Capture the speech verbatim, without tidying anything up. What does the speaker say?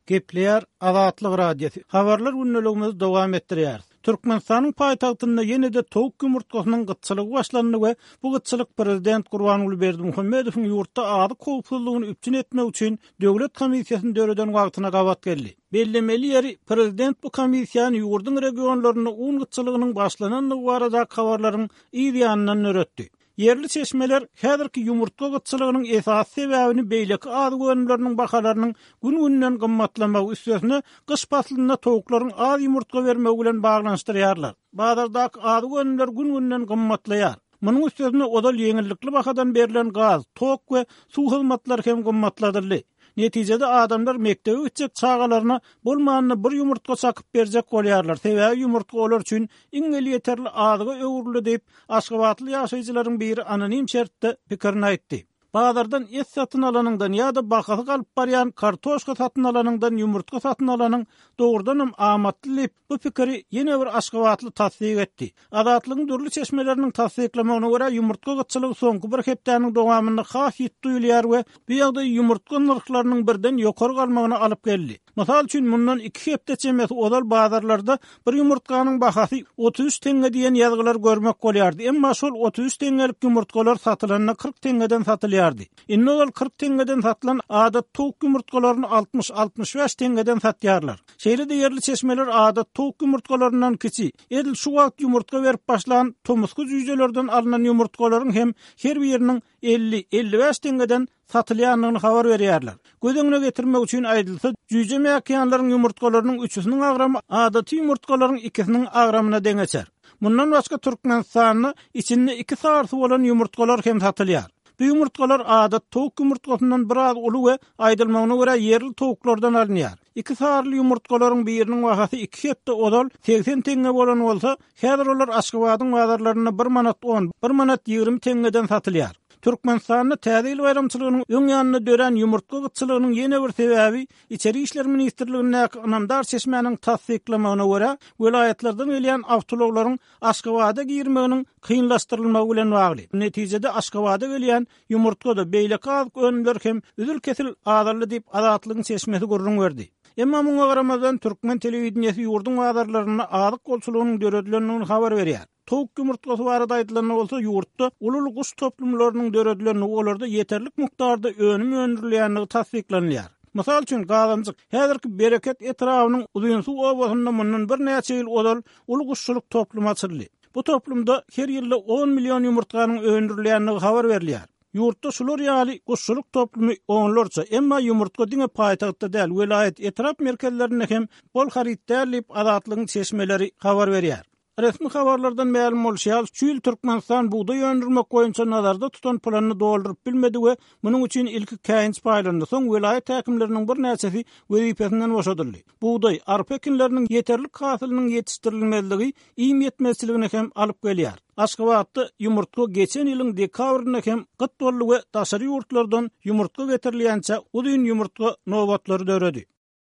Gepleýär Azatlyk Radiosy. Habarlar gündeligimizi dowam etdirýäris. Türkmenistanyň paýtagtynda ýene-de towuk ýumurtgasynyň gytçylygy başlandy we bu gytçylyk prezident Gurbanguly Berdimuhamedowyň ýurtda azyk howpsuzlygyny üpjün etmek üçin döwlet komissiýasyny döreden wagtyna gabat geldi. Bellemeli ýeri, prezident bu komissiýany ýurduň regionlarynda un gytçylygynyň başlanandygy baradaky habarlaryň yz ýanyndan döretdi. Ýerli çeşmeler häzirki ýumurtga gytçylygynyň esasy sebäbini beýleki azyk önümleriniň bahalarynyň gün-günden gymmatlamagy, üstesine gyş paslynda towuklaryň az ýumurtga bermegi bilen baglanyşdyrýarlar. Bazardaky azyk önümleri gün-günden gymmatlaýar. Munuň üstesine ozal ýeňillikli bahadan berlen gaz, tok we suw hyzmatlary hem gymmatladyldy. Netijede adamlar mekdebe gitjek çagalaryna bolmanda bir ýumurtga çakyp berjek bolýarlar, sebäbi ýumurtga olar üçin iň elýeterli azyga öwrüldi diýip, aşgabatly ýaşaýjylaryň biri anonim şertde pikirini aýtdy. Bazardan et satyn alanyňdan ýa-da bahasy galyp barýan kartoşka satyn alanyňdan ýumurtga satyn alanyň dogrudanam amatly diýip, bu pikiri ýene bir aşgabatly tassyk etdi. Azatlygyň dürli çeşmeleriniň tassyklamagyna görä, ýumurtga gytçylygy soňky bir hepdäniň dowamynda has ýiti duýulýar we bu ýagdaý ýumurtga nyrhlarynyň birden ýokary galmagyna alyp geldi. Mysal üçin, mundan iki hepde çemesi ozal bazarlarda bir ýumurtganyň bahasy otuz üç teňňe diýen ýazgylar görmek bolýardy, emma şol otuz üç teňňelik ýumurtgalar satylanda kyrk teňňeden satylýardy. Indi ozal kyrk teňňeden satylan adat towuk ýumurtgalaryny altmyş, altmyş bäş teňňeden satýarlar. Şeýle-de ýerli çeşmeler adat towuk ýumurtgalaryndan kiçi, edil şu wagt ýumurtga berip başlan tomusky jüýjelerden alnan ýumurtgalaryň hem her biriniň elli, elli bäş teňňeden satylýandygyny habar berýärler. Göz öňüne getirmek üçin aýdylsa, jüýje mäkiýanlaryň ýumurtgalarynyň üçüsiniň agramy adaty ýumurtgalaryň ikisiniň agramyna deňeçer. Mundan başga Türkmenistanda içinde iki sarysy bolan ýumurtgalar hem satylýar. Bu ýumurtgalar adat towuk ýumurtgasyndan biraz uly we aýdylmagyna görä ýerli towuklardan alynýar. Iki saryly ýumurtgalaryň biriniň bahasy iki hepde ozal segsen teňňe bolan bolsa, häzir olar Aşgabadyň bazarlarynda bir manat on, bir manat ýigrimi teňňeden satylýar. Türkmenistanda Täze ýyl baýramçylygynyň öň ýanynda dörän ýumurtga gytçylygynyň ýene bir sebäbi Içeri işler ministrligindäki ynamdar çeşmäniň tassyklamagyna görä, welaýatlardan gelýän awtoulaglaryň Aşgabada girmeginiň kynlaşdyrylmagy bilen bagly. Netijede Aşgabada gelýän ýumurtga-da, beýleki azyk önümleri hem üzül-kesil azaldy diýip, Azatlygyň çeşmesi gürrüň berdi. Emma muňa garamazdan, türkmen telewideniýesi ýurduň bazarlarynda azyk bolçulygynyň döredilendigini habar berýär. Towuk ýumurtgasy barada aýdylanda bolsa, ýurtda uly-uly guş toplumlarynyň döredilendigi, olarda ýeterlik mukdarda önüm öndürilýändigi tassyklanylýar. Mysal üçin, Gazanjyk, häzirki Bereket etrabynyň Uzynsuw obasynda mundan birnäçe ýyl ozal uly guşçulyk toplumy açyldy. Bu toplumda her ýylda on million ýumurtganyň öndürilýändigi habar berilýär. Ýurtda şular ýaly guşçulyk toplumy onlarça, emma ýumurtga diňe paýtagtda däl, welaýat, etrap merkezlerinde hem bol haryt däl diýip, Azatlygyň çeşmeleri habar berýär. Resmi habarlardan mälim bolşy ýaly, şu ýyl Türkmenistan bugdaý öndürmek boýunça nazarda tutan planyny dolduryp bilmedi we munuň üçin ilki käýinç paýlandy, soň welaýat häkimleriniň birnäçesi wezipesinden boşadyldy. Bugdaý, arpa ekinleriniň ýeterlik hasylynyň ýetişdirilmezligi iým ýetmezçiligine hem alyp gelýär. Aşgabatda ýumurtga geçen ýylyň dekabrynda hem gyt boldy we daşary ýurtlardan ýumurtga getirilýänçä uzyn ýumurtga nobatlary döredi.